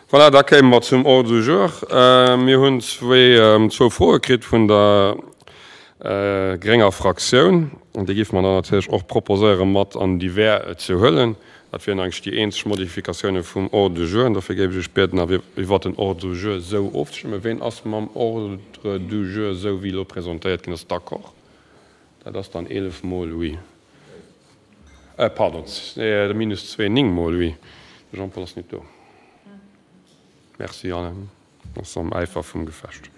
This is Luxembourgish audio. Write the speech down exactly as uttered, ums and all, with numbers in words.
Voilà, da kéime mer zum Ordre du jour. Mir hunn zwee, zwou Froe kritt vun der grénger Fraktioun. An déi géife mer dann natierlech och proposéieren, mat an Divers ze huelen. Dat wieren eigentlech déi eenzeg Modifikatioune vum Ordre du jour. An dofir géif ech Iech bieden, iwwert den Ordre du jour esou ofzestëmmen. Ween ass mam Ordre du jour, esou wéi elo presentéiert ginn ass, d'accord? Dat ass dann eelef mol oui. Pardon, minus zwee, néng mol oui. De Jean-Paul ass net do. Merci Alain, ass am Äifer vum Gefecht.